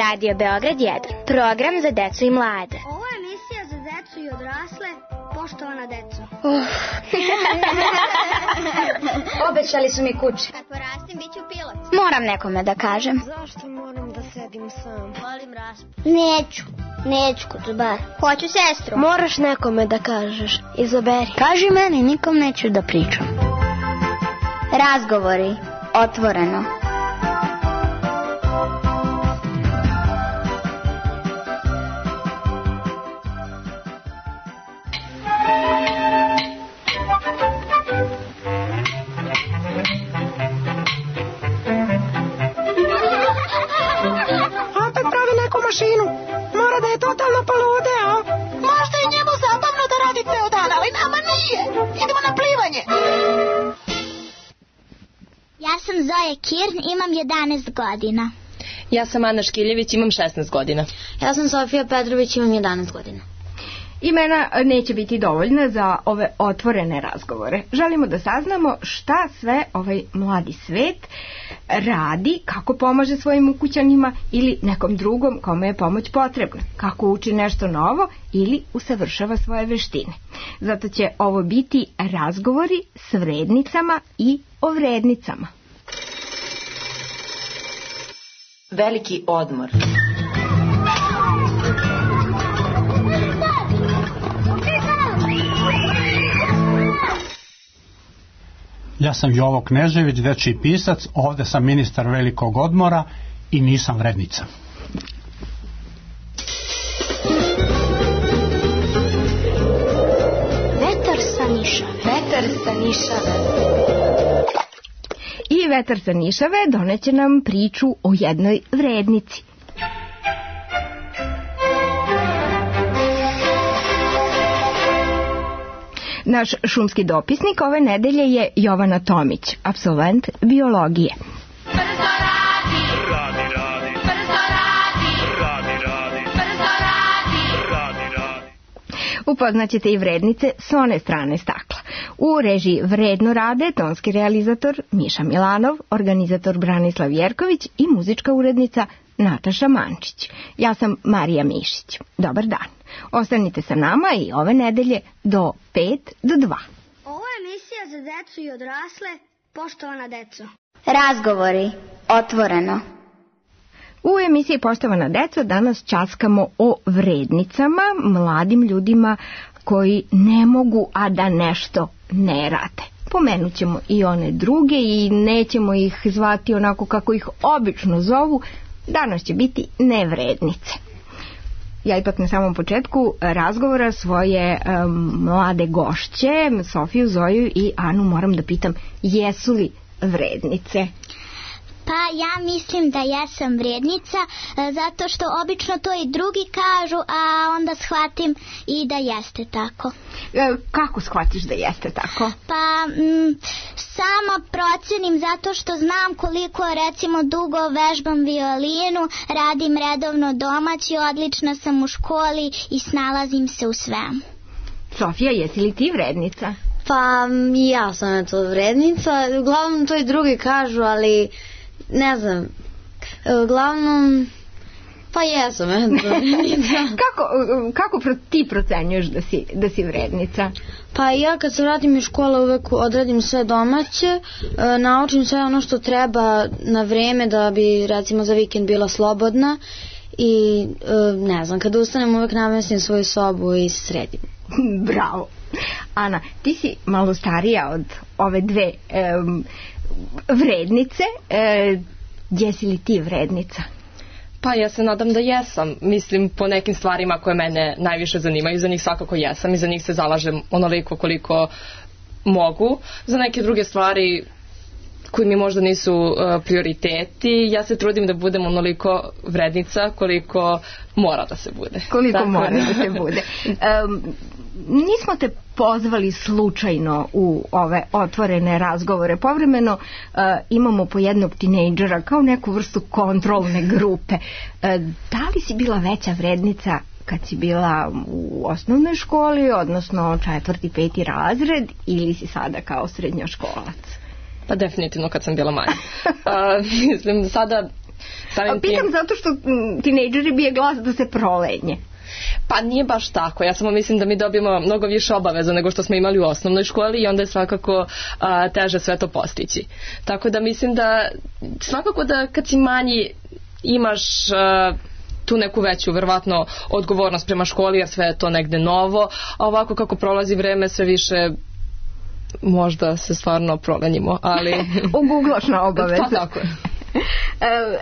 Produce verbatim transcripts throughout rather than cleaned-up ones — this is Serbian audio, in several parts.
Radio Beograd jedan, program za decu i mlade. Ovo je emisija za decu i odrasle, poštovana deco. Uh. Obećali su mi kuće. Kad porastim, bit ću pilot. Moram nekome da kažem. Zašto moram da sedim sam? Volim raspad. Neću, neću kod bar. Hoću sestru. Moraš nekome da kažeš. Izaberi. Kaži meni, nikom neću da pričam. Razgovori, otvoreno. Mašinu. Mora da je totalno poludeo. Možda je njemu zabavno da radi ceo dan, ali nama nije. Idemo na plivanje. Ja sam Zoja Kirn, imam jedanaest godina. Ja sam Ana Škiljević, imam šesnaest godina. Ja sam Sofija Petrović, imam jedanaest godina. Imena neće biti dovoljna za ove otvorene razgovore. Želimo da saznamo šta sve ovaj mladi svet radi, kako pomaže svojim ukućanima ili nekom drugom kome je pomoć potrebna, kako uči nešto novo ili usavršava svoje veštine. Zato će ovo biti razgovori s vrednicama i o vrednicama. Veliki odmor. Ja sam Jovo Knežević, dečiji pisac, ovde sam ministar velikog odmora i nisam vrednica. Vetar sa Nišave. Vetar sa Nišave. I vetar sa Nišave doneće nam priču o jednoj vrednici. Naš šumski dopisnik ove nedelje je Jovana Tomić, apsolvent biologije. Brzo radi, radi, radi, brzo radi, radi, radi, brzo radi, radi, radi. Upoznaćete i vrednice s one strane stakla. U režiji Vredno rade tonski realizator Miša Milanov, organizator Branislav Jerković i muzička urednica Nataša Mančić. Ja sam Marija Mišić. Dobar dan. Ostanite sa nama i ove nedelje do pet do dva. Ovo je emisija za decu i odrasle, poštovana deco. Razgovori, otvoreno. U emisiji Poštovana deco danas časkamo o vrednicama, mladim ljudima koji ne mogu, a da nešto ne rade. Pomenut ćemo i one druge i nećemo ih zvati onako kako ih obično zovu. Danas će biti nevrednice. Ja ipak na samom početku razgovora svoje um, mlade gošće, Sofiju, Zoju i Anu, moram da pitam, jesu li vrednice? Pa ja mislim da jesam vrednica, zato što obično to i drugi kažu, a onda shvatim i da jeste tako. E, kako shvatiš da jeste tako? Pa m, sama procenim zato što znam koliko recimo dugo vežbam violinu, radim redovno domaći, odlična sam u školi i snalazim se u svemu. Sofija, jesi li ti vrednica? Pa ja sam eto vrednica, uglavnom to i drugi kažu, ali ne znam, uglavnom, pa jesam eto vrednica. Kako, kako pro, ti procenjuješ da si, da si vrednica? Pa ja kad se vratim iz škole uvek odradim sve domaće, e, naučim sve ono što treba na vreme da bi recimo za vikend bila slobodna i e, ne znam, kada ustanem uvek namestim svoju sobu i sredim. Bravo. Ana, ti si malo starija od ove dve um, vrednice. E, jesi li ti vrednica? Pa ja se nadam da jesam. Mislim, po nekim stvarima koje mene najviše zanimaju, za njih svakako jesam i za njih se zalažem onoliko koliko mogu. Za neke druge stvari koji mi možda nisu uh, prioriteti, ja se trudim da budem onoliko vrednica koliko mora da se bude. Koliko Tako mora da, da se bude. Um, nismo te pozvali slučajno u ove otvorene razgovore. Povremeno uh, imamo po jednog tinejdžera kao neku vrstu kontrolne grupe. Uh, da li si bila veća vrednica kad si bila u osnovnoj školi, odnosno četvrti, peti razred, ili si sada kao srednjoškolac? Pa definitivno kad sam bila manja. Uh, mislim, sada Samim A pitam tim, zato što m, tinejdžeri bije glas da se prolenje. pa nije baš tako, ja samo mislim da mi dobijemo mnogo više obaveza nego što smo imali u osnovnoj školi i onda je svakako a, teže sve to postići. Tako da mislim da svakako da kad si manji imaš a, tu neku veću verovatno odgovornost prema školi jer sve je to negde novo, a ovako kako prolazi vreme sve više možda se stvarno promenimo, ali... Uguglaš na obaveze. Pa tako je.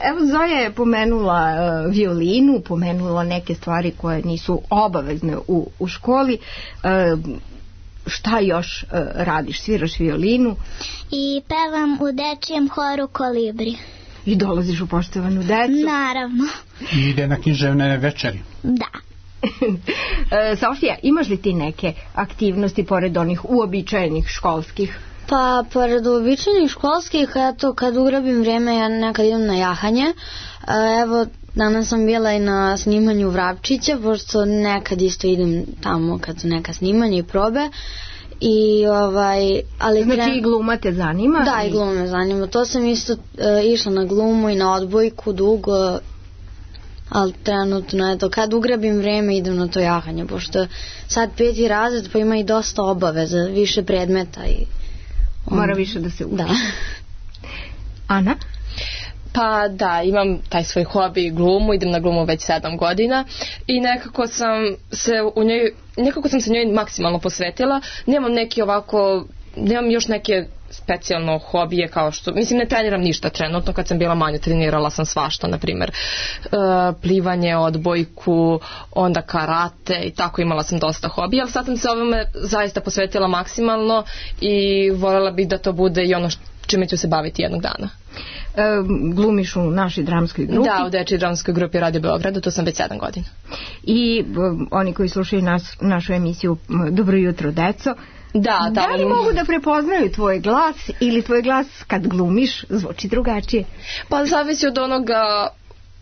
Evo Zoja je pomenula uh, violinu, pomenula neke stvari koje nisu obavezne u, u školi. Uh, šta još uh, radiš? Sviraš violinu? I pevam u dečijem horu Kolibri. I dolaziš u poštovanu decu? Naravno. I ide na književne večeri. Da. E, Sofija, imaš li ti neke aktivnosti pored onih uobičajenih školskih? Pa, pored uobičajenih školskih, eto, kad ugrabim vrijeme, ja nekad idem na jahanje. E, evo, danas sam bila i na snimanju Vrapčića, pošto nekad isto idem tamo kad su neka snimanja i probe. I ovaj, ali znači tren... i gluma te zanima? Da, i gluma me zanima. To sam isto e, išla na glumu i na odbojku dugo, ali trenutno, eto, kad ugrabim vreme idem na to jahanje, pošto sad peti razred pa ima i dosta obaveza, više predmeta i... On... Mora više da se uči. Da. Ana? Pa da, imam taj svoj hobi glumu, idem na glumu već sedam godina i nekako sam se u njoj, nekako sam se njoj maksimalno posvetila. Nemam neki ovako, nemam još neke specijalno hobije kao što, mislim ne treniram ništa trenutno, kad sam bila manja trenirala sam svašta, na primjer uh, plivanje, odbojku, onda karate i tako imala sam dosta hobija, ali sad sam se ovome zaista posvetila maksimalno i voljela bih da to bude i ono što čime ću se baviti jednog dana. E, glumiš u našoj dramskoj grupi? Da, u dečjoj dramskoj grupi Radio Beogradu, to sam već sedam godina. I um, oni koji slušaju nas, našu emisiju Dobro jutro, deco, da, da li mogu da prepoznaju tvoj glas ili tvoj glas kad glumiš zvuči drugačije? Pa zavisi od onoga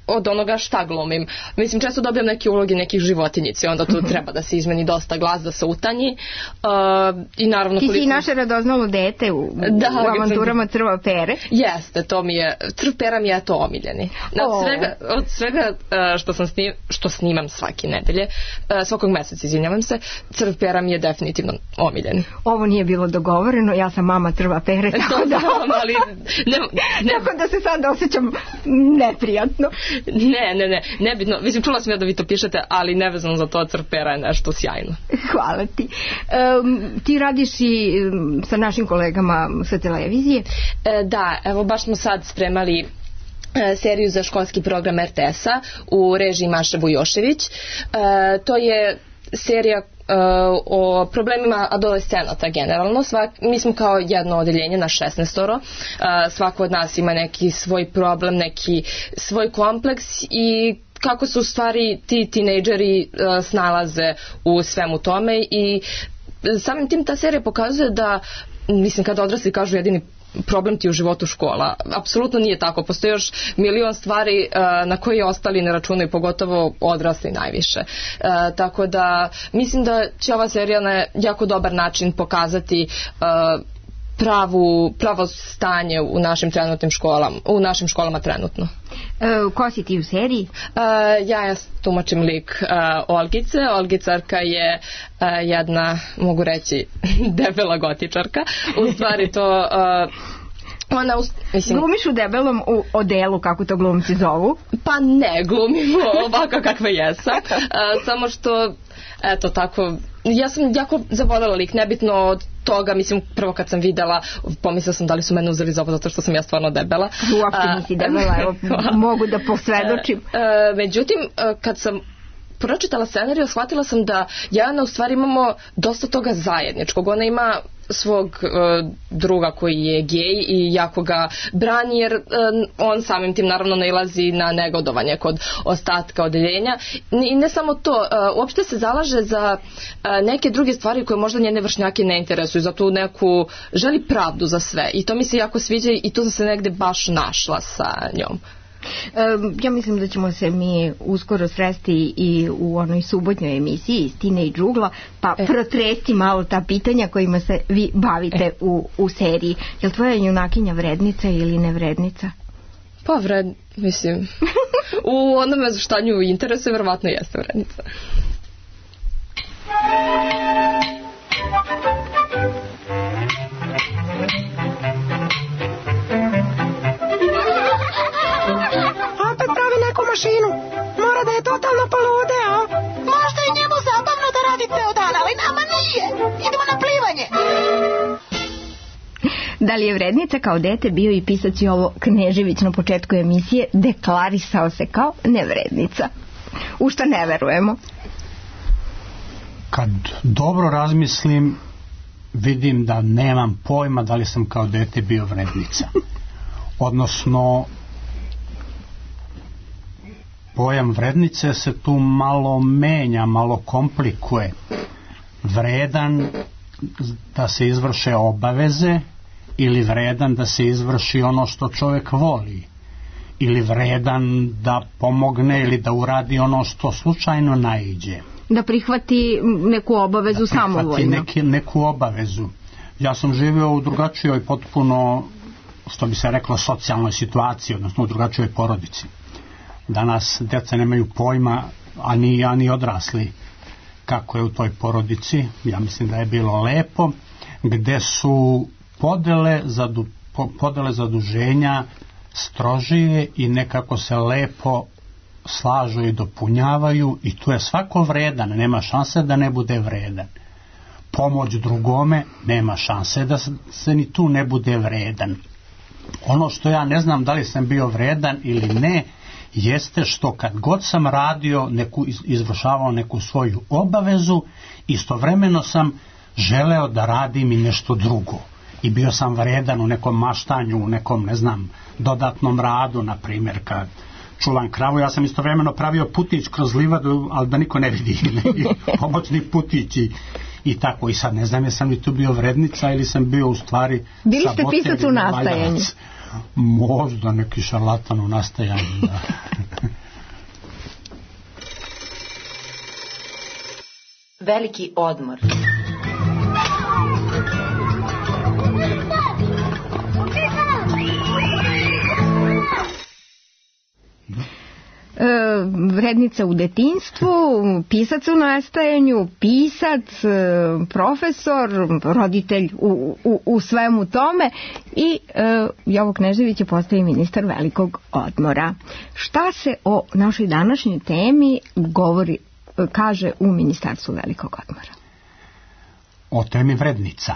od onoga šta glumim. Mislim, često dobijam neke uloge nekih životinjici, onda tu treba da se izmeni dosta glas, da se utanji. Uh, i naravno, ti koliko... si naše radoznalo dete u, da, u avanturama Crva pere. Jeste, to mi je, Crv pera mi je to omiljeni. Od oh. svega, od svega uh, što, sam snim, što snimam svake nedelje, uh, svakog meseca, izvinjavam se, Crv pera mi je definitivno omiljeni. Ovo nije bilo dogovoreno, ja sam mama Crva pere, tako da... ali, ne, ne... tako da se sad osjećam neprijatno. Ne, ne, ne, nebitno. Mislim, čula sam ja da vi to pišete, ali nevezano za to, Crv pera je nešto sjajno. Hvala ti. Um, ti radiš i um, sa našim kolegama sa televizije? E, da, evo baš smo sad spremali e, seriju za školski program er te es-a u režiji Maše Bujošević. E, to je serija Uh, o problemima adolescenata generalno. Svak, mi smo kao jedno odeljenje na šesnaestoro. Uh, svako od nas ima neki svoj problem, neki svoj kompleks i kako se u stvari ti tinejdžeri uh, snalaze u svemu tome i samim tim ta serija pokazuje da, mislim, kada odrasli kažu jedini problem ti u životu škola. Apsolutno nije tako. Postoji još milion stvari uh, na koje ostali ne računaju, pogotovo odrasli najviše. Uh, tako da mislim da će ova serija na jako dobar način pokazati uh, pravu, pravo stanje u našim trenutnim školama, u našim školama trenutno. E, ko si ti u seriji? Uh, ja ja tumačim lik uh, Olgice. Olgicarka je uh, jedna, mogu reći, debela gotičarka. U stvari to... Uh, Ona, mislim, glumiš u debelom u odelu, kako to glumci zovu? Pa ne, glumim ovako kakva jesam. Uh, samo što, eto tako, ja sam jako zavoljela lik, nebitno od toga, mislim, prvo kad sam videla, pomislila sam da li su mene uzeli za ovo zato što sam ja stvarno debela. Uopšte nisi debela, evo, mogu da posvedočim. Uh, uh, međutim, uh, kad sam pročitala scenariju, shvatila sam da Jana u stvari imamo dosta toga zajedničkog. Ona ima svog uh, druga koji je gej i jako ga brani jer uh, on samim tim naravno nailazi na negodovanje kod ostatka odeljenja i ne samo to, uh, uopšte se zalaže za uh, neke druge stvari koje možda njene vršnjake ne interesuju, za tu neku želi pravdu za sve i to mi se jako sviđa i tu sam se negde baš našla sa njom. Ja mislim da ćemo se mi uskoro sresti i u onoj subotnjoj emisiji iz Teenage Ugla, pa e. protresti malo ta pitanja kojima se vi bavite e. u, u seriji. Je li tvoja junakinja vrednica ili nevrednica? Pa vred, mislim, u onome za šta nju interesuje, verovatno jeste vrednica. Opet pravi neku mašinu. Mora da je totalno polude, a? Možda je njemu zabavno da radi ceo dan, ali nama nije. Idemo na plivanje. Da li je vrednica kao dete bio i pisac Jovo Knežević na početku emisije, deklarisao se kao nevrednica. U šta ne verujemo? Kad dobro razmislim, vidim da nemam pojma da li sam kao dete bio vrednica. Odnosno, pojam vrednice se tu malo menja, malo komplikuje. Vredan da se izvrše obaveze ili vredan da se izvrši ono što čovjek voli, ili vredan da pomogne ili da uradi ono što slučajno naiđe. Da prihvati neku obavezu da samovoljno. Da prihvati neku obavezu. Ja sam živio u drugačijoj potpuno, što bi se reklo, socijalnoj situaciji, odnosno u drugačijoj porodici. Danas djeca nemaju pojma, a ni, a ni odrasli, kako je u toj porodici. Ja mislim da je bilo lepo, gde su podele, zadu, podele zaduženja strožije i nekako se lepo slažu i dopunjavaju, i tu je svako vredan, nema šanse da ne bude vredan. Pomoć drugome, nema šanse da se ni tu ne bude vredan. Ono što ja ne znam da li sam bio vredan ili ne, jeste što kad god sam radio neku, izvršavao neku svoju obavezu, istovremeno sam želeo da radim i nešto drugo. I bio sam vredan u nekom maštanju, u nekom, ne znam, dodatnom radu, na primjer, kad čuvam kravu, ja sam istovremeno pravio putić kroz livadu, ali da niko ne vidi, pomoćni putić i, i tako. I sad ne znam, jesam li tu bio vrednica ili sam bio u stvari bili ste pisac u nastajanju? Možda neki šarlatan u nastajanju, da. Veliki odmor. Vrednica u detinjstvu, pisac u nastajanju, pisac, profesor, roditelj u, u, u svemu tome i e, Jovo Knežević je postao ministar velikog odmora. Šta se o našoj današnjoj temi govori, kaže u Ministarstvu velikog odmora? O temi vrednica.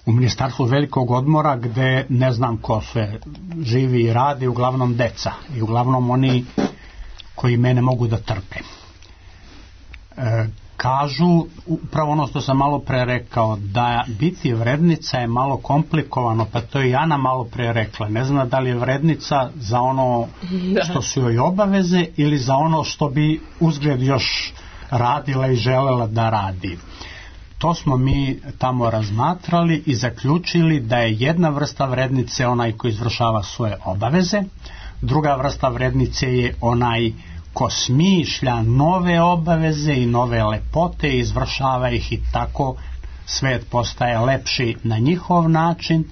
U Ministarstvu velikog odmora, gde ne znam ko sve živi i radi, uglavnom deca i uglavnom oni koji mene mogu da trpe. E, kažu, upravo ono što sam malo pre rekao, da biti vrednica je malo komplikovano, pa to je i Ana malo pre rekla. Ne znam da li je vrednica za ono što su joj obaveze ili za ono što bi uzgled još radila i želela da radi. To smo mi tamo razmatrali i zaključili da je jedna vrsta vrednice onaj koji izvršava svoje obaveze, druga vrsta vrednice je onaj ko smišlja nove obaveze i nove lepote i izvršava ih i tako svet postaje lepši na njihov način,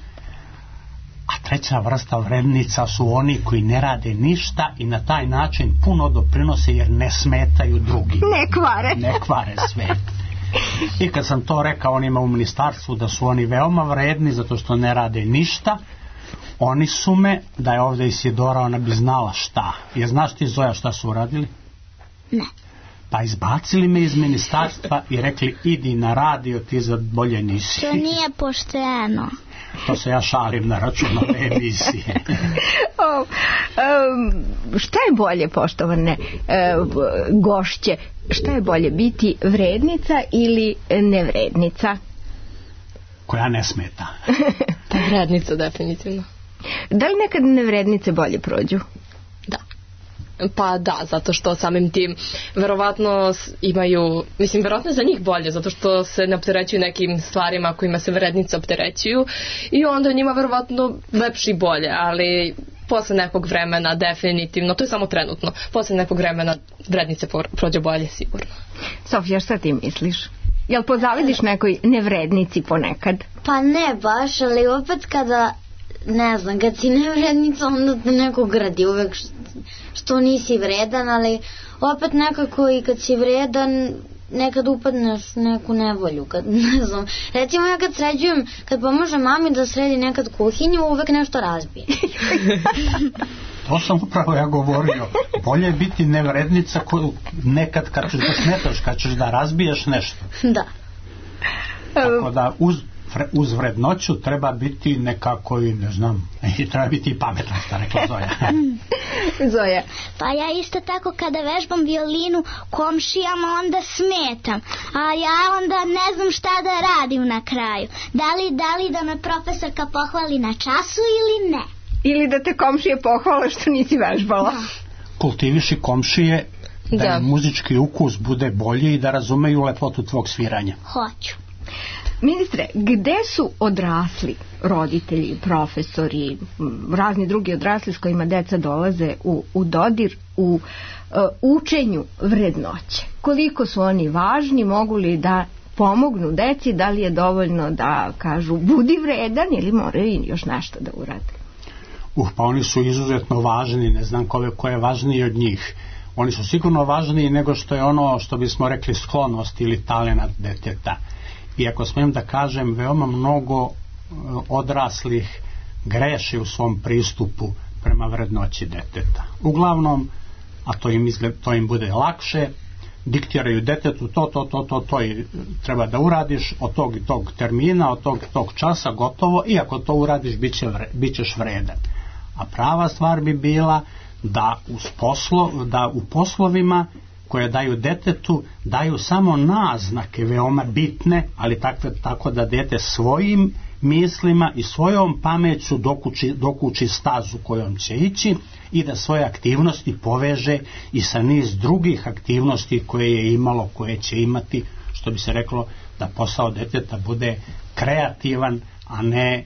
a treća vrsta vrednica su oni koji ne rade ništa i na taj način puno doprinose jer ne smetaju drugi. Ne kvare. Ne kvare svet. I kad sam to rekao onima u ministarstvu da su oni veoma vredni zato što ne rade ništa, oni su me, da je ovdje Isidora, ona bi znala šta. Je, znaš ti, Zoja, šta su uradili? Ne. Pa izbacili me iz ministarstva i rekli idi na radio, ti za bolje nisi. To nije pošteno. To se ja šalim na račun ove emisije. o, um, šta je bolje, poštovane uh, gošće, šta je bolje, biti vrednica ili nevrednica? Koja ne smeta. Pa vrednica, definitivno. Da li nekad nevrednice bolje prođu? Da. Pa da, zato što samim tim verovatno imaju, mislim, verovatno za njih bolje, zato što se ne opterećuju nekim stvarima kojima se vrednice opterećuju i onda njima verovatno lepši bolje, ali posle nekog vremena definitivno, to je samo trenutno, posle nekog vremena vrednice prođe bolje sigurno. Sofija, šta ti misliš? Jel pozavidiš nekoj nevrednici ponekad? Pa ne baš, ali opet kada ne znam, kad si nevrednica onda te neko gradi uvek što nisi vredan, ali opet nekako i kad si vredan nekad upadneš u neku nevolju, kad, ne znam, recimo ja kad sređujem, kad pomožem mami da sredi nekad kuhinju, uvek nešto razbije. To sam upravo ja govorio. Bolje je biti nevrednica koju nekad kad ćeš da smetaš, kad ćeš da razbiješ nešto. Da. Tako da uz, uz vrednoću treba biti nekako i ne znam, i treba biti i pametna, šta rekla Zoja. Zoja. Pa ja isto tako kada vežbam violinu komšijama onda smetam, a ja onda ne znam šta da radim na kraju. Da li, da li da me profesorka pohvali na času ili ne? Ili da te komšije pohvale što nisi vežbala. Kultiviši komšije da, Da. im muzički ukus bude bolji i da razumeju lepotu tvog sviranja. Hoću. Ministre, gde su odrasli roditelji, profesori, m, razni drugi odrasli s kojima deca dolaze u, u dodir, u uh, učenju vrednoće? Koliko su oni važni, mogu li da pomognu deci, da li je dovoljno da kažu budi vredan ili moraju još nešto da urade? Uh, pa oni su izuzetno važni, ne znam koliko je važniji od njih. Oni su sigurno važniji nego što je ono što bismo rekli sklonost ili talenat deteta. I ako smijem da kažem, veoma mnogo odraslih greši u svom pristupu prema vrednoći deteta. Uglavnom, a to im, izgled, to im bude lakše, diktiraju detetu to, to, to, to, to i treba da uradiš od tog i tog termina, od tog i tog časa, gotovo, i ako to uradiš, bit, će vre, bit ćeš vredan. A prava stvar bi bila da, uz poslo, da u poslovima koje daju detetu, daju samo naznake veoma bitne, ali takve, tako da dete svojim mislima i svojom pameću dokući, dokući stazu kojom će ići i da svoje aktivnosti poveže i sa niz drugih aktivnosti koje je imalo, koje će imati, što bi se reklo, da posao deteta bude kreativan, a ne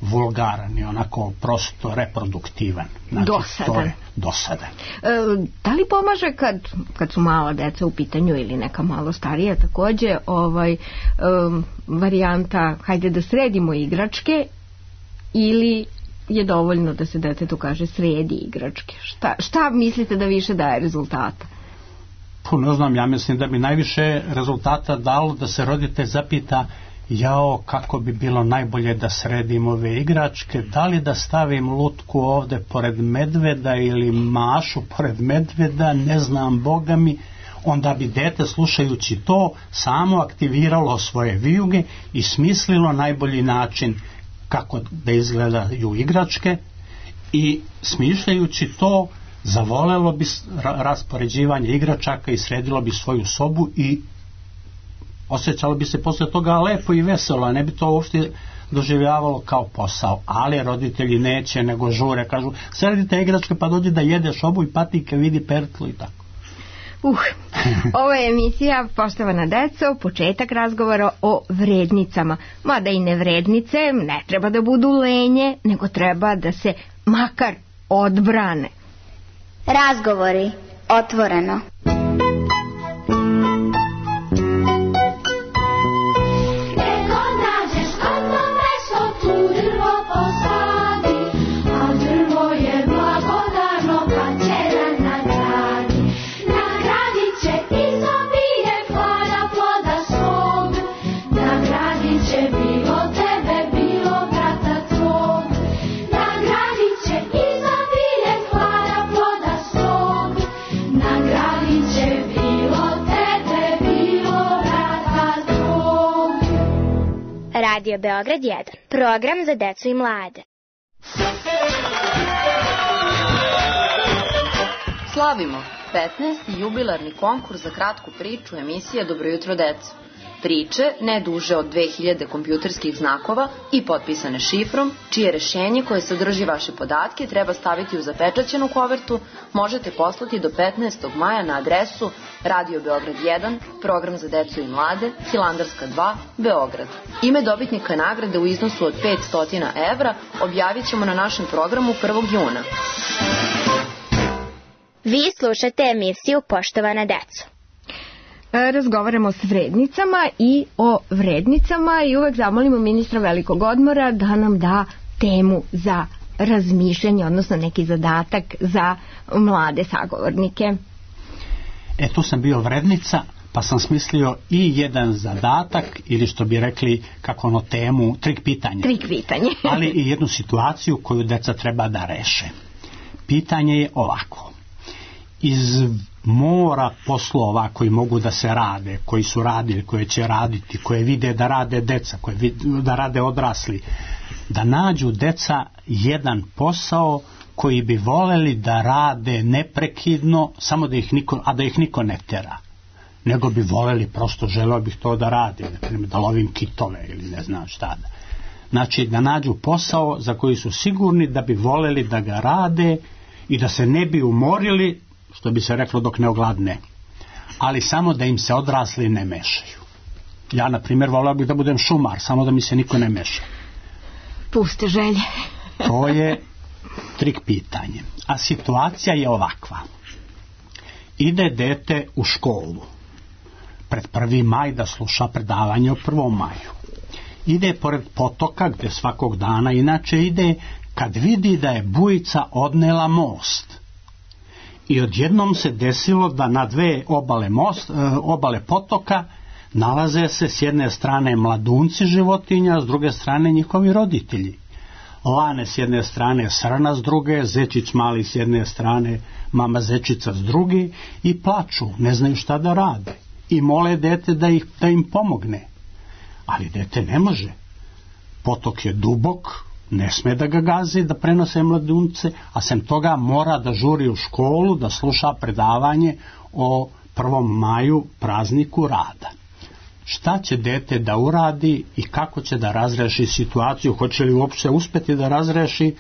vulgaran i onako prosto reproduktivan. Znači, dosadan. To je dosadan. E, da li pomaže kad, kad su mala deca u pitanju ili neka malo starija takođe ovaj, e, varijanta hajde da sredimo igračke ili je dovoljno da se detetu kaže sredi igračke? Šta, šta mislite da više daje rezultata? Pa ne znam, ja mislim da bi najviše rezultata dalo da se roditelj zapita jao, kako bi bilo najbolje da sredim ove igračke, da li da stavim lutku ovde pored medveda ili mašu pored medveda, ne znam, Boga mi. Onda bi dete, slušajući to, samo aktiviralo svoje vijuge i smislilo najbolji način kako da izgledaju igračke i smišljajući to zavolelo bi raspoređivanje igračaka i sredilo bi svoju sobu i osjećalo bi se posle toga lepo i veselo, a ne bi to uopšte doživljavalo kao posao. Ali roditelji neće, nego žure, kažu sredite igračke pa dođi da jedeš obuj patike, vidi pertlu i tako. Uh, ovo je emisija Poštovana deco, početak razgovora o vrednicama. Mada i nevrednice ne treba da budu lenje, nego treba da se makar odbrane. Razgovori otvoreno. Radio Beograd jedan. Program za decu i mlade. Slavimo petnaesti jubilarni konkurs za kratku priču emisije Dobro jutro deco. Priče ne duže od dve hiljade kompjuterskih znakova i potpisane šifrom, čije rešenje koje sadrži vaše podatke treba staviti u zapečaćenu kovertu, možete poslati do petnaestog maja na adresu Radio Beograd jedan, program za decu i mlade, Hilandarska dva, Beograd. Ime dobitnika nagrade u iznosu od petsto evra objavit ćemo na našem programu prvog juna. Vi slušate emisiju Poštovana deco. Razgovaramo s vrednicama i o vrednicama i uvek zamolimo ministra velikog odmora da nam da temu za razmišljanje, odnosno neki zadatak za mlade sagovornike? E, tu sam bio vrednica, pa sam smislio i jedan zadatak, ili što bi rekli, kako ono, temu, trik pitanje. Trik pitanje. Ali i jednu situaciju koju deca treba da reše. Pitanje je ovako. Iz mora poslova koji mogu da se rade, koji su radili, koje će raditi, koje vide da rade deca, koje vide da rade odrasli, da nađu deca jedan posao koji bi voleli da rade neprekidno, samo da ih niko, a da ih niko ne tera. Nego bi voleli, prosto želeo bih to da radim, da lovim kitove ili ne znam šta da. Znači da nađu posao za koji su sigurni da bi voleli da ga rade i da se ne bi umorili, što bi se reklo, dok ne ogladne. Ali samo da im se odrasli ne mešaju. Ja, na primjer, voleo bih da budem šumar, samo da mi se niko ne meša. Puste želje. To je trik pitanje. A situacija je ovakva. Ide dete u školu pred prvi maj da sluša predavanje o prvom maju. Ide pored potoka gde svakog dana inače ide, kad vidi da je bujica odnela most. I odjednom se desilo da na dve obale, most, obale potoka nalaze se s jedne strane mladunci životinja, s druge strane njihovi roditelji. Lane s jedne strane, Srna s druge, Zečić mali s jedne strane, mama Zečica s druge, i plaču, ne znaju šta da rade. I mole dete da, ih, da im pomogne. Ali dete ne može. Potok je dubok, ne sme da ga gazi, da prenose mladunce, a sem toga mora da žuri u školu, da sluša predavanje o prvom maju, prazniku rada. Šta će dete da uradi i kako će da razreši situaciju, hoće li uopće uspeti da razreši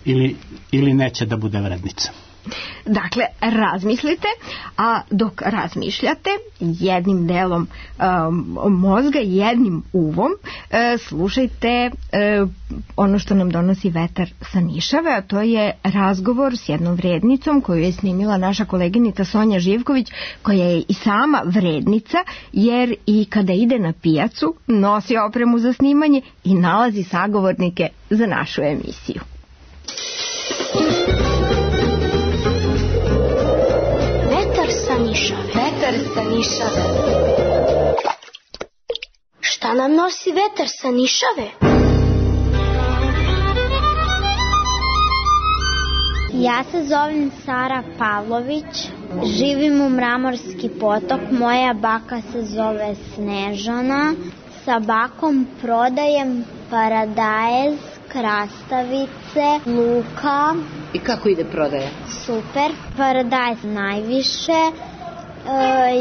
ili, ili neće da bude vrednica? Dakle, razmislite, a dok razmišljate jednim delom um, mozga, jednim uvom, uh, slušajte uh, ono što nam donosi vetar sa Nišave, a to je razgovor s jednom vrednicom koju je snimila naša koleginica Sonja Živković, koja je i sama vrednica, jer i kada ide na pijacu nosi opremu za snimanje i nalazi sagovornike za našu emisiju. Vetar sa Nišave. Šta nam nosi vetar sa Nišave? Ja se zovem Sara Pavlović, živim u Mramorski potok, moja baka se zove Snežana, sa bakom prodajem paradajz, krastavice, luka. I kako ide prodaja? Super, paradajz najviše e,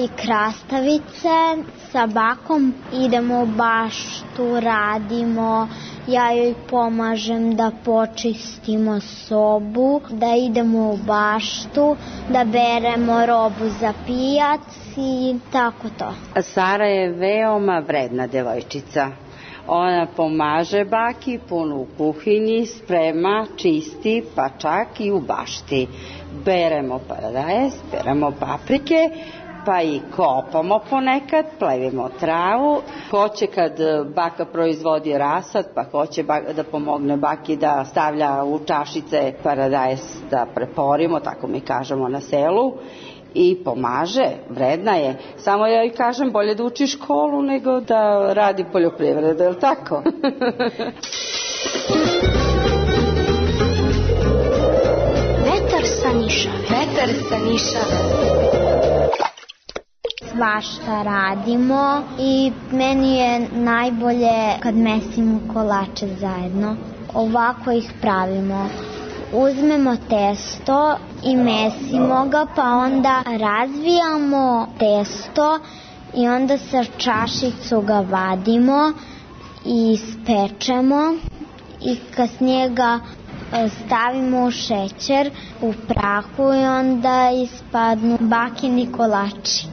i krastavice. Sa bakom idemo u baštu, radimo, ja joj pomažem da počistimo sobu, da idemo u baštu, da beremo robu za pijac i tako to. Sara je veoma vredna devojčica. Ona pomaže baki puno u kuhinji, sprema, čisti, pa čak i u bašti. Beremo paradajz, beremo paprike, pa i kopamo ponekad, plevimo travu. Hoće kad baka proizvodi rasad, pa hoće da pomogne baki da stavlja u čašice paradajz da preporimo, tako mi kažemo na selu. I pomaže, vredna je. Samo ja joj kažem, bolje da uči školu nego da radi poljoprivredu, je li tako? Vetar sa Nišave. Vetar sa Nišave. Svašta radimo i meni je najbolje kad mesimo kolače zajedno. Ovako ih pravimo. Uzmemo testo i mesimo ga, pa onda razvijamo testo i onda sa čašicu ga vadimo i spečemo i kasnije ga stavimo u šećer, u prahu i onda ispadnu bakini kolači.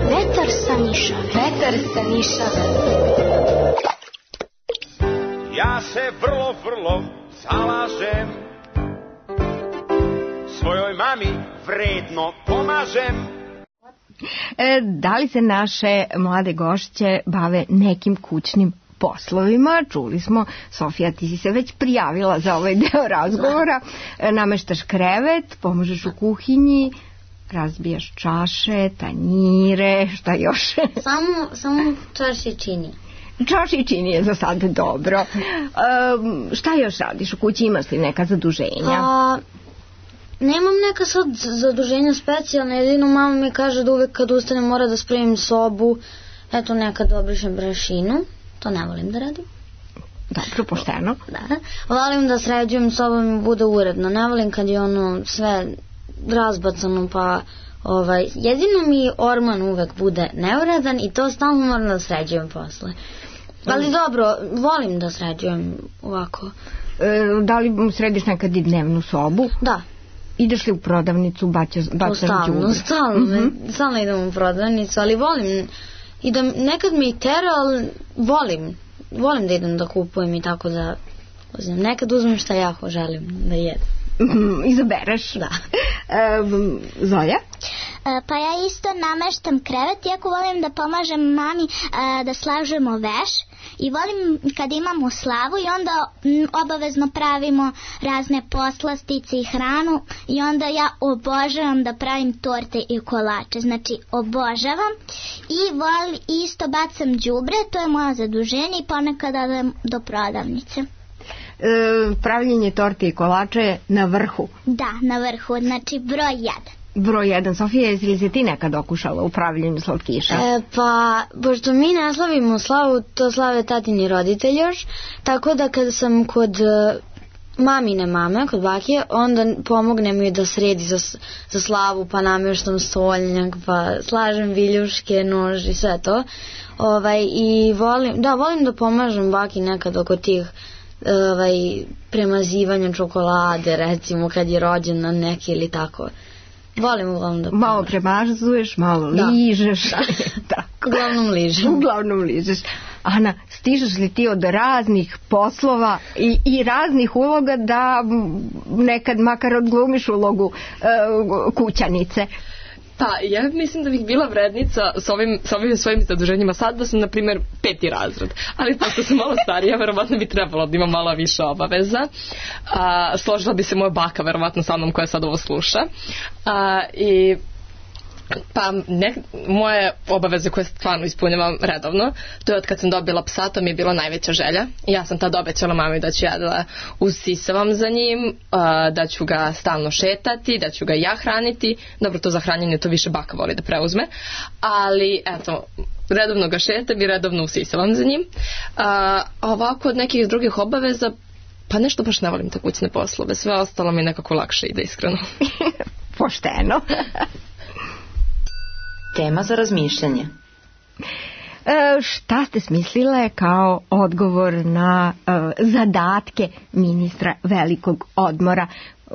Vetar sa Nišave. Vetar sa Nišave. Ja se vrlo, vrlo zalažem, svojoj mami vredno pomažem. E, da li se naše mlade gošće bave nekim kućnim poslovima? Čuli smo, Sofija, ti si se već prijavila za ovaj deo razgovora. E, nameštaš krevet, pomažeš u kuhinji, razbijaš čaše, tanjire, šta još? Samo, samo čaše čini. Čaši čini je za sad dobro. E, šta još radiš u kući? Imaš li neka zaduženja? Pa, nemam neka sad zaduženja specijalne, jedino mama mi kaže da uvek kad ustanem mora da spremim sobu, eto nekad obrišem brašinu, to ne volim da radim. Dobro, pošteno. Da, volim da sređujem sobu mi bude uredno, ne volim kad je ono sve razbacano, pa ovaj, jedino mi orman uvek bude neuredan i to stalno moram da sređujem posle. Ali dobro, volim da sređujem ovako. E, da li središ nekad i dnevnu sobu? Da. Ideš li u prodavnicu, baćaš đubre? Stalno, stalno, mm-hmm. stalno idem u prodavnicu, ali volim i da nekad me i tera, ali volim, volim da idem da kupujem i tako da uzmem. Nekad uzmem šta ja želim da jedem. Mm, izabereš? Da. E, Zoja? E, pa ja isto nameštam krevet, iako volim da pomažem mami e, da slažemo veš i volim kad imamo slavu i onda m, obavezno pravimo razne poslastice i hranu i onda ja obožavam da pravim torte i kolače, znači obožavam i volim, isto bacam đubre, to je moje zaduženje i ponekad odem do prodavnice. E, pravljenje torte i kolača je na vrhu. Da, na vrhu, znači broj jedan. Broj jedan. Sofija, jesi li se ti nekad okušala u pravljenju slatkiša? E, pa, pošto mi ne slavimo slavu, to slave tatini roditelji još, tako da kada sam kod mamine mame, kod bake, onda pomognem joj da sredi za, za slavu, pa namještam stolnjak, pa slažem viljuške, nož i sve to. Ovaj, i volim, da, volim da pomažem baki nekad oko tih ovaj, premazivanja čokolade, recimo kad je rođendan neki ili tako. Volim uglavnom da malo premazuješ, malo da. ližeš. Da. Tako. Uglavnom ližem. Uglavnom ližeš. Ana, stižeš li ti od raznih poslova i, i raznih uloga da nekad makar odglumiš ulogu uh, kućanice? Pa, ja mislim da bih bila vrednica s ovim, s ovim svojim zaduženjima sad da sam, na primjer, peti razred. Ali pošto sam malo starija, verovatno bi trebalo da imam malo više obaveza. A, složila bi se moja baka, verovatno sa mnom koja sad ovo sluša. A, I... Pa ne, moje obaveze koje stvarno ispunjavam redovno, to je od kad sam dobila psa, to mi je bila najveća želja. Ja sam tad obećala mami da ću ja da usisavam za njim, da ću ga stalno šetati, da ću ga ja hraniti. Dobro, to za hranjenje to više baka voli da preuzme, ali eto, redovno ga šetam i redovno usisavam za njim. A ovako od nekih drugih obaveza, pa nešto baš ne volim te kućne poslove, sve ostalo mi nekako lakše ide, iskreno. Pošteno. Tema za razmišljanje. E, šta ste smislile kao odgovor na e, zadatke ministra velikog odmora?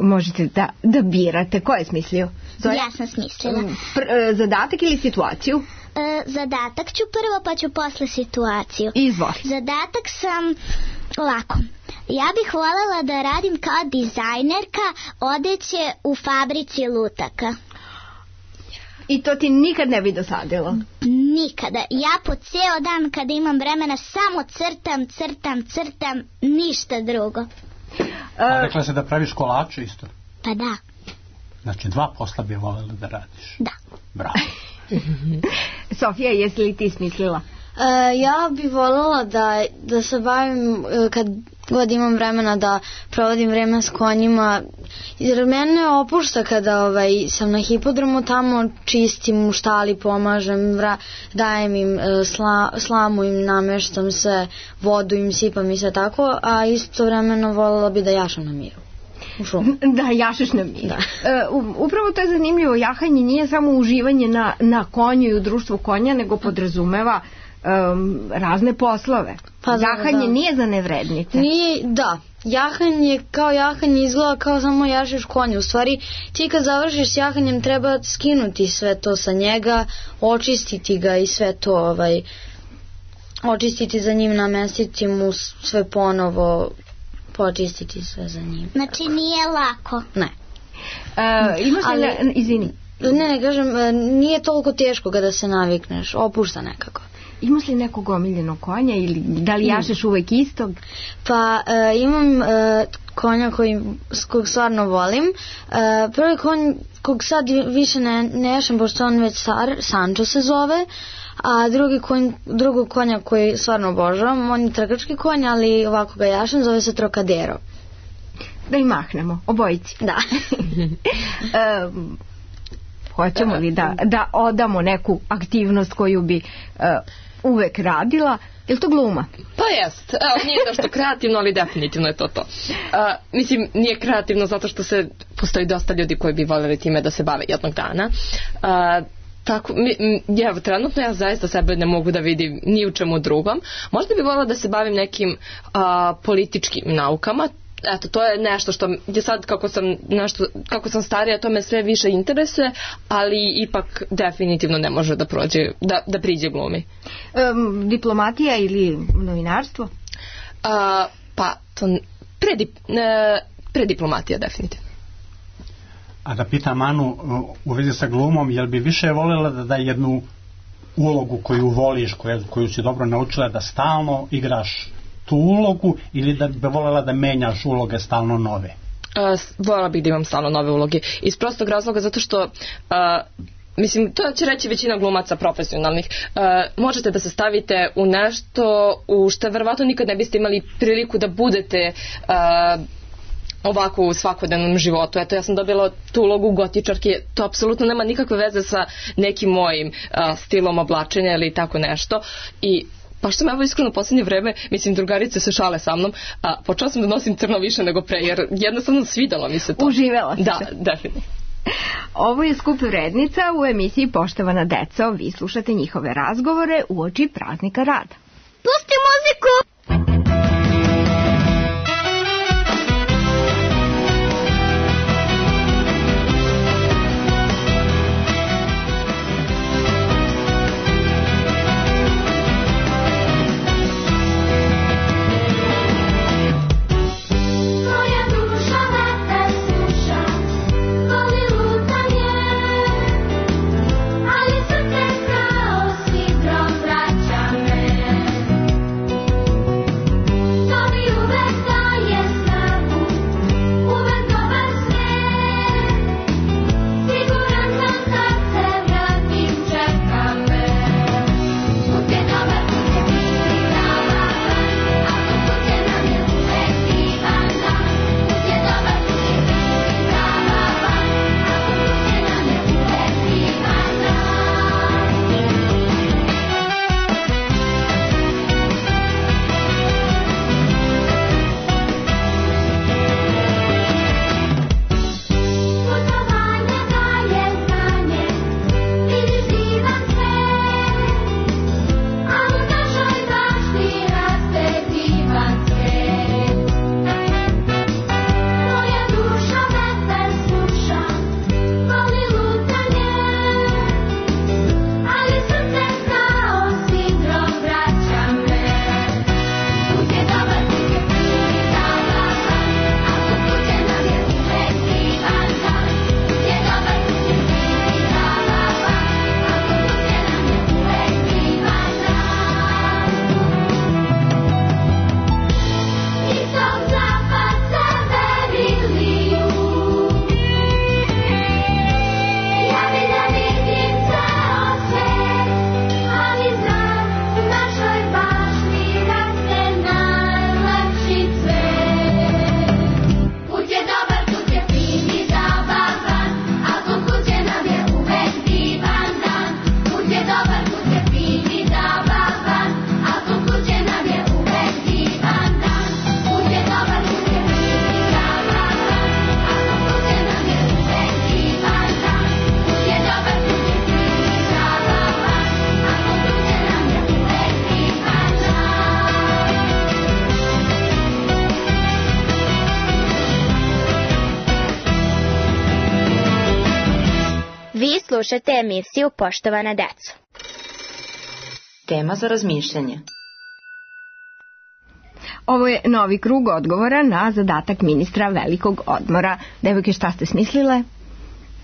Možete da, da birate. Ko je smislio? Zoja? Ja sam smislila. Pr, e, zadatak ili situaciju? E, zadatak ću prvo, pa ću posle situaciju. Izvoli. Zadatak sam ovako. Ja bih voljela da radim kao dizajnerka odeće u fabrici lutaka. I to ti nikad ne bi dosadilo? Nikada. Ja po ceo dan kada imam vremena samo crtam, crtam, crtam, ništa drugo. A rekla se da praviš kolače isto? Pa da. Znači dva posla bi voljela da radiš? Da. Bravo. Sofija, jesi li ti smislila? E, ja bih voljela da, da se bavim kad god imam vremena da provodim vreme s konjima, jer mene opušta kada ovaj, sam na hipodromu, tamo čistim u štali, pomažem, vra, dajem im sla, slamu im, namještam se, vodu im sipam i sve tako, a istovremeno voljela bi da jašam na miru. Da, jašeš na miru. Uh, upravo to je zanimljivo, jahanje nije samo uživanje na, na konju i u društvu konja, nego podrazumeva Um, razne poslove. Pa da, jahanje da. Nije za nevrednice. Nije, da. Jahanje kao jahanje izgleda kao samo jašeš konju. U stvari, ti kad završiš s jahanjem treba skinuti sve to sa njega, očistiti ga i sve to, ovaj, očistiti za njim, namestiti mu sve ponovo, počistiti sve za njim. Znači nije lako. Ne. Uh, imaš ali, li, izvini. Ne, ne, kažem, nije toliko teško kada se navikneš, opušta nekako. Imaš li nekog omiljenog konja ili da li jašeš uvek istog? Pa e, imam e, konja koji, kog stvarno volim. E, prvi konj kog sad više ne, ne jašem, pošto on već star, Sancho se zove, a drugi konj, drugog konja koji stvarno obožavam, on je trkački konj, ali ovako ga jašem, zove se Trocadero. Da i mahnemo, obojici. Da. e, hoćemo li da, da odamo neku aktivnost koju bi e, uvek radila? Je li to gluma? Pa jest. Evo, nije nešto kreativno, ali definitivno je to to. Uh, mislim, nije kreativno zato što se postoji dosta ljudi koji bi voljeli time da se bave jednog dana. Uh, Tako, mi, ja, trenutno ja zaista sebe ne mogu da vidim ni u čemu drugom. Možda bi voljela da se bavim nekim a, političkim naukama. Eto, to je nešto što je sad kako sam, nešto, kako sam starija, to me sve više interesuje, ali ipak definitivno ne može da prođe, da, da priđe glumi. Um, diplomatija ili novinarstvo? A, pa, to predip, ne, prediplomatija definitivno. A da pitam Anu u vezi sa glumom, jel bi više voljela da da jednu ulogu koju voliš, koju, koju si dobro naučila, da stalno igraš tu ulogu, ili da bi voljela da menjaš uloge stalno nove? Uh, voljela bih da imam stalno nove uloge. Iz prostog razloga zato što uh, mislim, to će reći većina glumaca profesionalnih. Uh, možete da se stavite u nešto u što verovatno nikad ne biste imali priliku da budete uh, ovako u svakodnevnom životu. Eto, ja sam dobila tu ulogu gotičarke, to apsolutno nema nikakve veze sa nekim mojim uh, stilom oblačenja ili tako nešto. I pa što me evo iskreno u posljednje vreme, mislim, drugarice se šale sa mnom, a počela sam da nosim crno više nego pre, jer jednostavno svidalo mi se to. Uživela si da, se. Da, definitivno. Ovo je Skup vrednica u emisiji Poštovana deco. Vi slušate njihove razgovore uoči praznika rada. Pusti muziku! Slušajte emisiju Poštovana deco. Tema za razmišljanje. Ovo je novi krug odgovora na zadatak ministra velikog odmora. Devojke, šta ste smislile?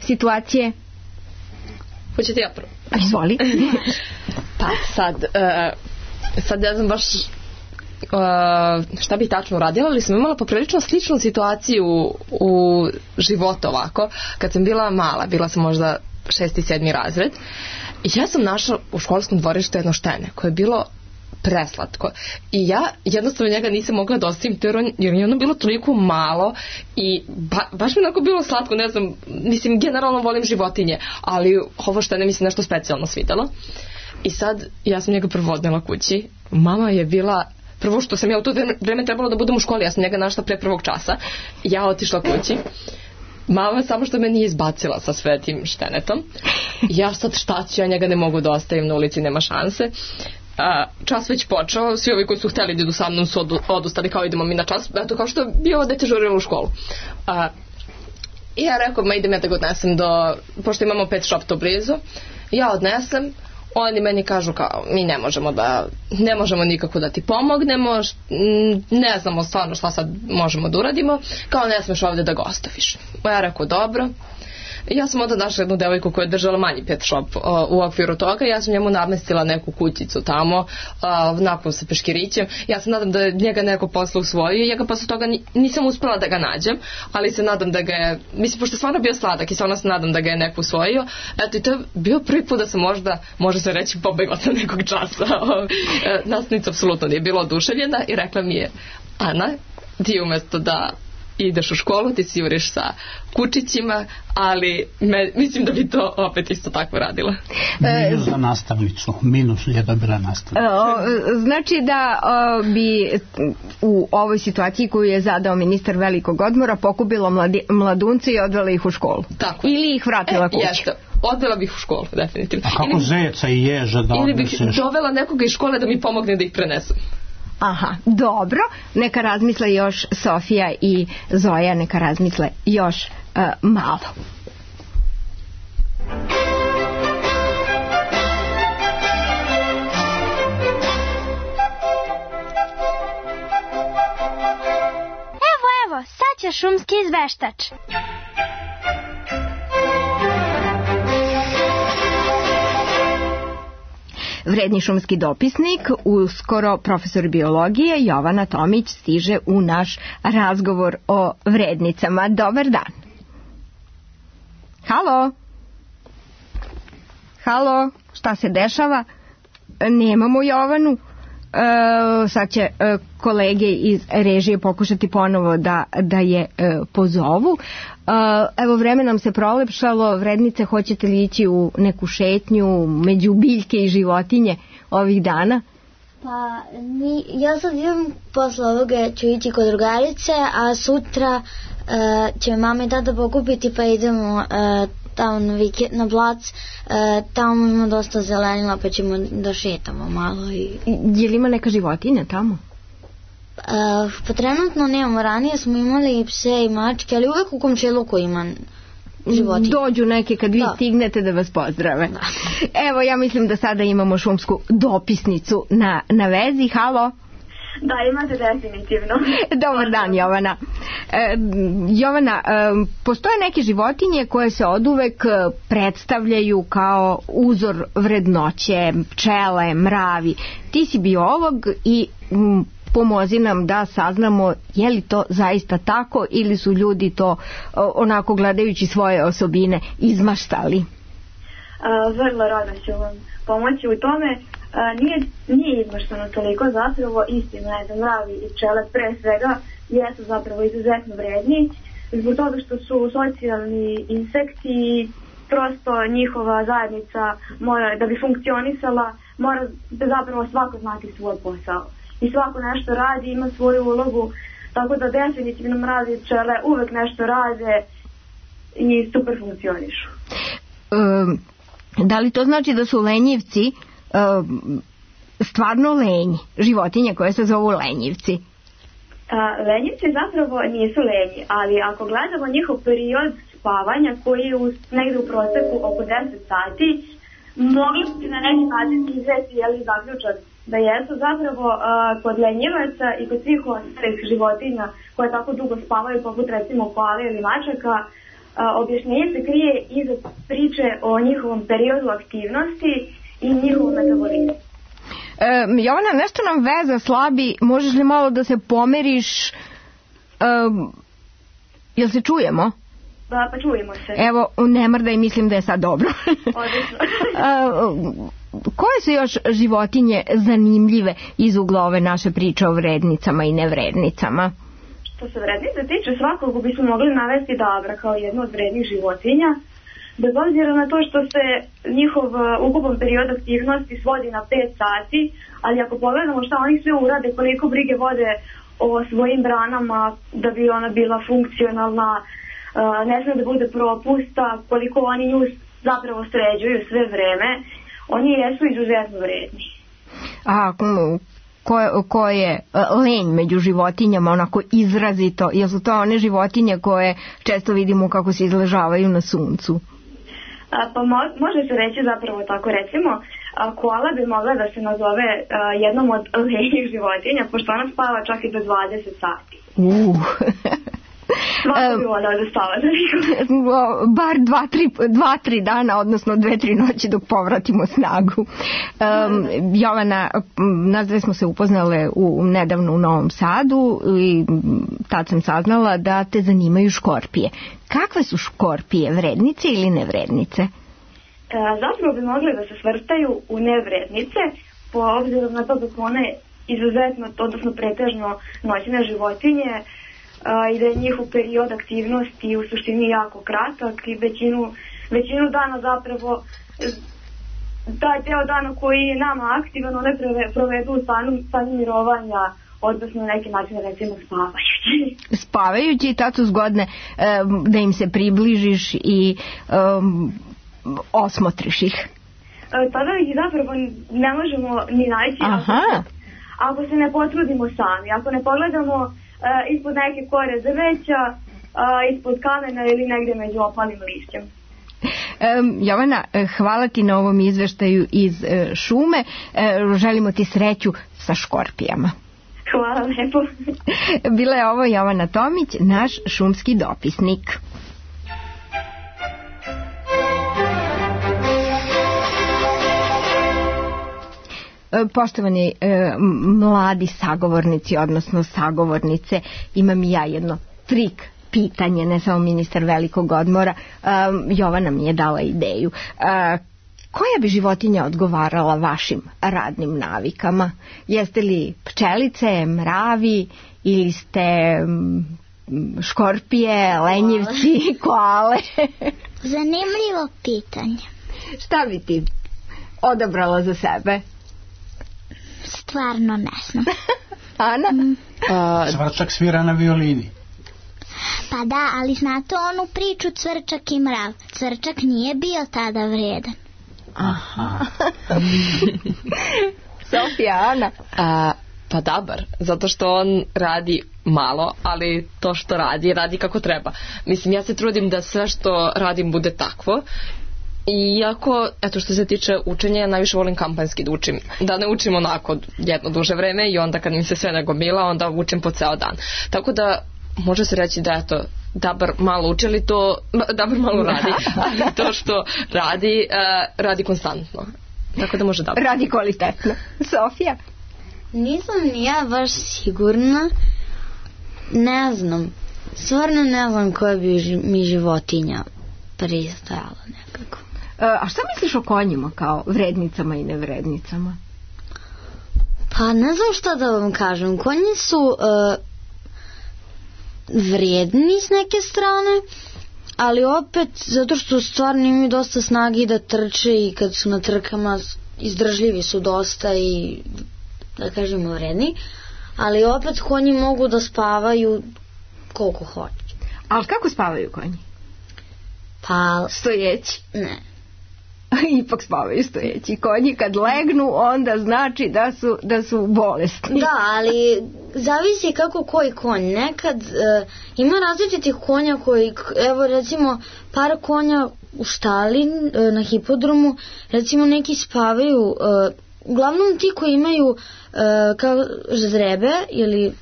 Situacije? Hoćete ja prvo? Izvoli. Pa sad, uh, sad ja znam baš uh, šta bi tačno uradila, ali sam imala poprilično sličnu situaciju u životu ovako. Kad sam bila mala, bila sam možda šesti, sedmi razred, i ja sam našla u školskom dvorištu jedno štene koje je bilo preslatko. I ja jednostavno njega nisam mogla da ostavim, jer je ono bilo toliko malo i ba, baš mi onako bilo slatko, ne znam, mislim, generalno volim životinje, ali ovo što ne mi se nešto specijalno svidelo. I sad, ja sam njega prvo odnela kući. Mama je bila, prvo što sam ja u to vreme trebalo da budem u školi, ja sam njega našla pre prvog časa. Ja otišla kući. Mama samo što me nije izbacila sa sve tim štenetom. Ja sad šta ću, ja njega ne mogu da ostavim na ulici, nema šanse. A, čas već počeo, svi ovi koji su hteli da idu sa mnom su odu, odustali kao idemo mi na čas, eto kao što bi ovo dete žurilo u školu. A, I ja rekao, ma idem ja da ga odnesem do, pošto imamo pet shop to blizu, ja odnesem, oni meni kažu kao, mi ne možemo da, ne možemo nikako da ti pomognemo, ne znamo stvarno šta sad možemo da uradimo, kao ne smeš ovde da ga ostaviš. Ja rekao, dobro. Ja sam onda našla jednu devojku koja je držala manji pet shop o, u okviru toga. Ja sam njemu namestila neku kućicu tamo, nakon sa peškirićem. Ja se nadam da je njega neko posle usvojio. Ja ga posle toga nisam uspela da ga nađem, ali se nadam da ga je, mislim, pošto je stvarno bio sladak i stvarno se nadam da ga je neko usvojio. Eto, i to je bio prvi put da sam možda, može se reći, pobegla sa nekog časa. Nastavnica apsolutno nije bila oduševljena i rekla mi je, Ana, ti umesto da ideš u školu, ti si juriš sa kučićima, ali me, mislim da bi to opet isto tako radila. Minus za nastavnicu. Minus je dobila nastavnicu. Znači da o, bi u ovoj situaciji koju je zadao ministar velikog odmora pokupila mladi, mladunce i odvela ih u školu. Tako. Ili ih vratila e, kući. Jeste. Odvela bih u školu, definitivno. A kako ili, zeca i ježa da odneseš? Ili bih dovela nekoga iz škole da mi pomogne da ih prenesem. Aha, dobro. Neka razmisle još Sofija i Zoja, neka razmisle još uh, malo. Evo, evo, sad će šumski izveštač. Vredni šumski dopisnik, uskoro profesor biologije Jovana Tomić stiže u naš razgovor o vrednicama. Dobar dan. Halo? Halo? Šta se dešava? Nemamo Jovanu. E, sad će e, kolege iz režije pokušati ponovo da, da je e, pozovu. E, evo, vreme nam se prolepšalo. Vrednice, hoćete li ići u neku šetnju među biljke i životinje ovih dana? Pa, mi, ja sad idem posle ovoga, ću ići kod drugarice, a sutra e, će mama i tata pokupiti, pa idemo e, tamo na, vikend, na plac, e, tamo ima dosta zelenila, pa ćemo da šetamo malo. I... Je li ima neka životinja tamo? E, pa trenutno nemamo, ranije smo imali i pse i mačke, ali uvek u komšiluku ima životinje. Dođu neke kad vi da. stignete da vas pozdrave. Da. Evo, ja mislim da sada imamo šumsku dopisnicu na, na vezi. Halo? Da, imate definitivno. Dobar dan, Jovana. E, Jovana, e, postoje neke životinje koje se oduvek predstavljaju kao uzor vrednoće, pčele, mravi. Ti si biolog i m, pomozi nam da saznamo je li to zaista tako ili su ljudi to onako gledajući svoje osobine izmaštali. A, vrlo rado ću vam pomoći u tome. A, nije, nije izmaštano toliko, zapravo istina je da mravi i pčele pre svega jesu zapravo izuzetno vredni zbog toga što su socijalni insekti i prosto njihova zajednica mora, da bi funkcionisala, mora da zapravo svako znati svoj posao i svako nešto radi, ima svoju ulogu, tako da definitivno mravi i pčele uvek nešto rade i super funkcionišu. Um, da li to znači da su lenjivci um, stvarno lenji, životinje koje se zovu lenjivci? A, lenjivci zapravo nisu lenji, ali ako gledamo njihov period spavanja koji je u, negde u proseku oko deset sati, mogli bi na neki način izvesti jeli zaključak da jesu zapravo uh, kod lenjivaca i kod svih ostalih životinja koje tako dugo spavaju, poput recimo koale ili mačaka, uh, objašnjenje se krije iza priče o njihovom periodu aktivnosti i njihovom metabolizmu. E, Jovana, nešto nam veza slabi, možeš li malo da se pomeriš, e, jel se čujemo? Pa, pa čujemo se. Evo, ne mrdaj, mislim da je sad dobro. Odlično. Koje su još životinje zanimljive iz ugla ove naše priče o vrednicama i nevrednicama? Što se vrednice tiče, svakog bismo mogli navesti dabra kao jednu od vrednih životinja, bez obzira na to što se njihov ukupan period aktivnosti svodi na pet sati, ali ako pogledamo šta oni sve urade, koliko brige vode o svojim branama da bi ona bila funkcionalna, ne sme da bude propusta, koliko oni nju zapravo sređuju sve vreme, oni jesu izuzetno vredni. A ko je, ko je lenj među životinjama onako izrazito, jer su to one životinje koje često vidimo kako se izležavaju na suncu? A, pa mo, može se reći zapravo tako, recimo a, koala bi mogla da se nazove a, jednom od lenjih životinja, pošto ona spava čak i do dvadeset sati. Uh. Svako bi volao da spava za bar dva tri, dva, tri dana, odnosno dve, tri noći dok povratimo snagu. Um, Jovana, nas dve smo se upoznale u, nedavno u Novom Sadu i tad sam saznala da te zanimaju škorpije. Kakve su škorpije, vrednice ili nevrednice? E, zapravo bi mogli da se svrstaju u nevrednice, po obzirom na to da su one izuzetno, odnosno pretežno noćne životinje, Uh, i da je njihov period aktivnosti u suštini jako kratak i većinu, većinu dana zapravo taj deo dana koji je nama aktivan one preve, provedu u stanu, stanu mirovanja, odnosno na neki način recimo spavajući. Spavajući i tad su zgodne um, da im se približiš i um, osmotriš ih. Uh, tada ih zapravo ne možemo ni naći ako, ako se ne potrudimo sami, ako ne pogledamo Uh, ispod neke kore drveća, uh, ispod kamena ili negdje među opalim lišćem. Um, Jovana, hvala ti na ovom izveštaju iz uh, šume. Uh, želimo ti sreću sa škorpijama. Hvala lepo. Bila je ovo Jovana Tomić, naš šumski dopisnik. Poštovani e, mladi sagovornici, odnosno sagovornice, imam i ja jedno trik pitanje, ne samo ministar velikog odmora. E, Jovana mi je dala ideju. E, koja bi životinja odgovarala vašim radnim navikama? Jeste li pčelice, mravi ili ste škorpije, lenjivci, koale? Zanimljivo pitanje. Šta bi ti odabrala za sebe? Stvarno ne znam. Ana? Mm. Uh, Cvrčak svira na violini. Pa da, ali znate onu priču Cvrčak i mrav. Cvrčak nije bio tada vredan. Aha. Sofija, Ana? Uh, pa dabar, zato što on radi malo, ali to što radi, radi kako treba. Mislim, ja se trudim da sve što radim bude takvo. Iako, eto što se tiče učenja, ja najviše volim kampanjski da učim. Da ne učim onako jedno duže vreme i onda kad mi se sve nagomila, onda učim po ceo dan. Tako da, može se reći da eto, dabar malo uči, ali to, dabar malo radi, ali to što radi, uh, radi konstantno. Tako da može dabar. Radi kvalitetno. Sofija? Nisam ni ja baš sigurna. Ne znam. Stvarno ne znam koja bi mi životinja pristajala nekako. A šta misliš o konjima kao vrednicama i nevrednicama? Pa ne znam šta da vam kažem. Konji su uh, vredni s neke strane, ali opet zato što stvarno imaju dosta snage da trče i kad su na trkama izdržljivi su dosta i da kažemo vredni, ali opet konji mogu da spavaju koliko hoće. Ali kako spavaju konji? Pa stojeći? Ne. Ipak spavaju stojeći. Konji kad legnu onda znači da su, da su bolesni. Da, ali zavisi kako koji konj. Nekad e, ima različitih konja koji, evo recimo par konja u štali e, na hipodromu, recimo neki spavaju, e, uglavnom ti koji imaju e, kao ždrebe ili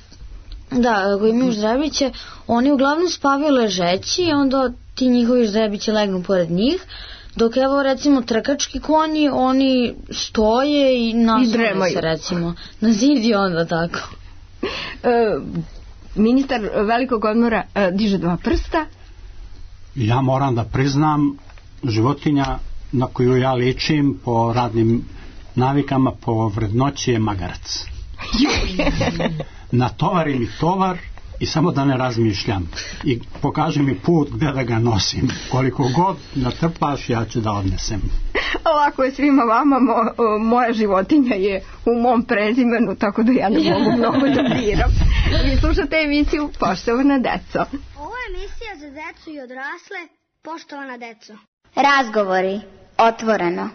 Da, koji imaju ždrebiće, oni uglavnom spavaju ležeći i onda ti njihovi ždrebiće legnu pored njih, dok evo recimo trkački konji, oni stoje i naslone se recimo na zid i onda tako. E, ministar velikog odmora e, diže dva prsta. Ja moram da priznam, životinja na koju ja ličim po radnim navikama, po vrednoći je magarac. Natovari mi tovar i samo da ne razmišljam i pokaži mi put gde da ga nosim, koliko god natrpaš ja ću da odnesem. Lako je svima vama, mo, moja životinja je u mom prezimenu, tako da ja ne mogu mnogo da biram. Vi slušate emisiju Poštovana deco. Ovo je emisija za decu i odrasle. Poštovana deco. Razgovori otvoreno.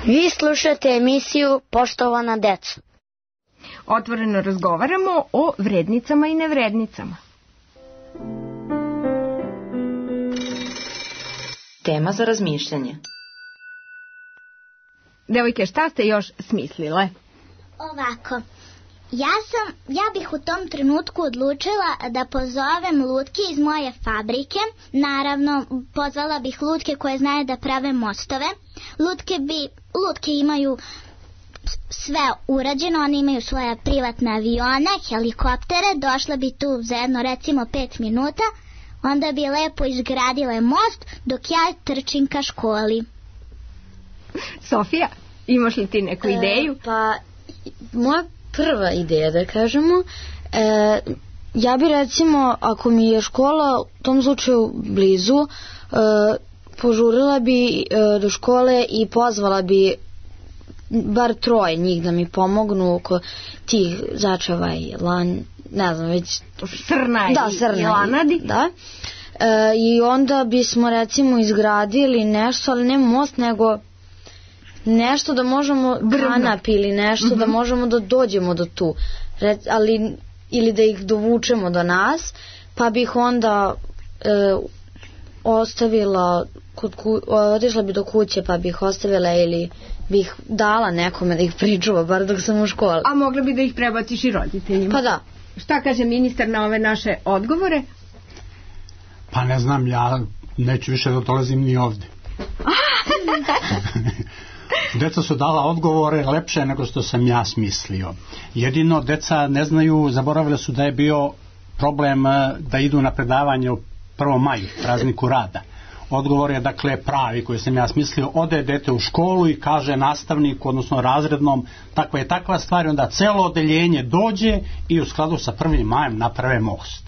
Vi slušate emisiju Poštovana deco. Otvoreno razgovaramo o vrednicama i nevrednicama. Tema za razmišljanje. Devojke, šta ste još smislile? Ovako, ja sam, ja bih u tom trenutku odlučila da pozovem lutke iz moje fabrike. Naravno, pozvala bih lutke koje znaju da prave mostove. Lutke bi, lutke imaju sve urađeno, one imaju svoje privatne avione, helikoptere, došla bi tu za jedno recimo pet minuta, onda bi lepo izgradile most dok ja trčim ka školi. Sofija, imaš li ti neku ideju? E, pa, moja prva ideja, da kažemo, e, ja bi recimo, ako mi je škola u tom slučaju blizu, e, požurila bi e, do škole i pozvala bi bar troje njih da mi pomognu oko tih začava i lan, ne znam već... Srna, da, srna i lanadi. Da. E, I onda bismo recimo izgradili nešto, ali ne most, nego nešto da možemo kanap ili nešto mm-hmm. da možemo da dođemo do tu. Re, ali, ili da ih dovučemo do nas, pa bih onda e, ostavila kod ku, otišla bi do kuće pa bih ostavila ili bih dala nekome da ih pričuva bar dok sam u školi. A mogla bi da ih prebaciš i roditeljima? Pa da. Šta kaže ministar na ove naše odgovore? Pa ne znam, ja neću više da dolazim ni ovde. Deca su dala odgovore lepše nego što sam ja smislio. Jedino deca ne znaju, zaboravili su da je bio problem da idu na predavanje u prvom maju, prazniku rada. Odgovor je dakle pravi koji sam ja smislio, ode dete u školu i kaže nastavniku, odnosno razrednom, takva je takva stvar, onda celo odeljenje dođe i u skladu sa prvim majem naprave most.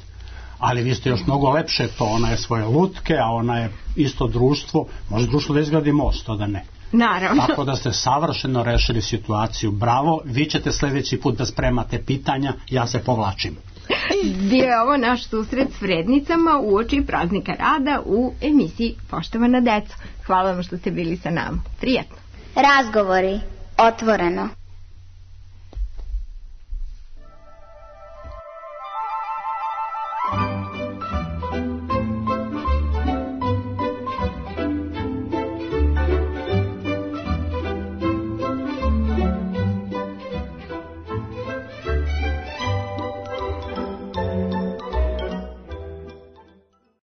Ali vi ste još mnogo lepše to, ona je svoje lutke, a ona je isto društvo, može društvo da izgradi most, to da ne. Naravno. Tako da ste savršeno rešili situaciju, bravo, vi ćete sljedeći put da spremate pitanja, ja se povlačim. Bio je ovo naš susret s vrednicama uoči praznika rada u emisiji Poštovana deco. Hvala vam što ste bili sa nama. Prijetno. Razgovori. Otvoreno.